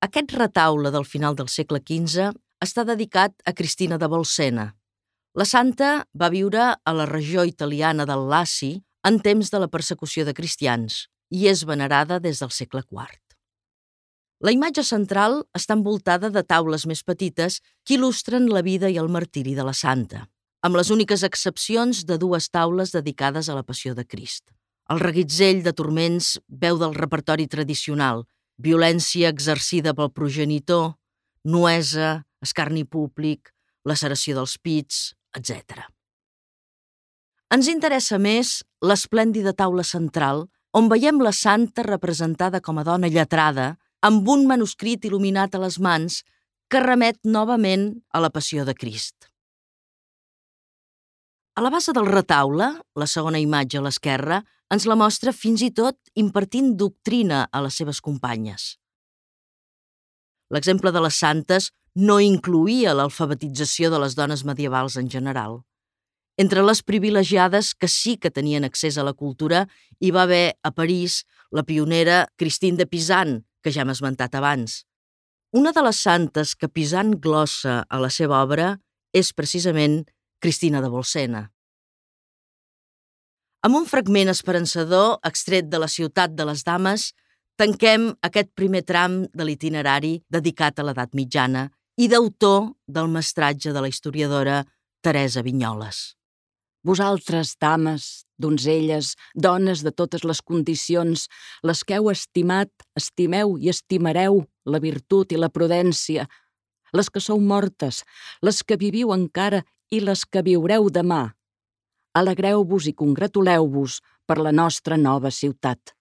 Aquest retaule del final del segle XV està dedicat a Cristina de Bolsena. La santa va viure a la regió italiana del Laci en temps de la persecució de cristians i és venerada des del segle IV. La imatge central està envoltada de taules més petites que il·lustren la vida i el martiri de la santa, amb les úniques excepcions de dues taules dedicades a la Passió de Crist. El reguitzell de turments veu del repertori tradicional, violència exercida pel progenitor, nuesa, escarni públic, laceració dels pits, etc. Ens interessa més l'esplèndida taula central, on veiem la santa representada com a dona lletrada, amb un manuscrit il·luminat a les mans que remet novament a la Passió de Crist. A la base del retaule, la segona imatge a l'esquerra, ens la mostra fins i tot impartint doctrina a les seves companyes. L'exemple de les santes no incloïa l'alfabetització de les dones medievals en general. Entre les privilegiades que sí que tenien accés a la cultura hi va haver a París la pionera Christine de Pisan, que ja hem esmentat abans. Una de les santes que Pisan glossa a la seva obra és precisament Cristina de Bolsena. Amb un fragment esperançador extret de la Ciutat de les Dames, tanquem aquest primer tram de l'itinerari dedicat a l'edat mitjana i d'autor del mestratge de la historiadora Teresa Vinyoles. Vosaltres, dames, donzelles, dones de totes les condicions, les que heu estimat, estimeu i estimareu la virtut i la prudència, les que sou mortes, les que viviu encara i les que viureu demà. Alegreu-vos i congratuleu-vos per la nostra nova ciutat.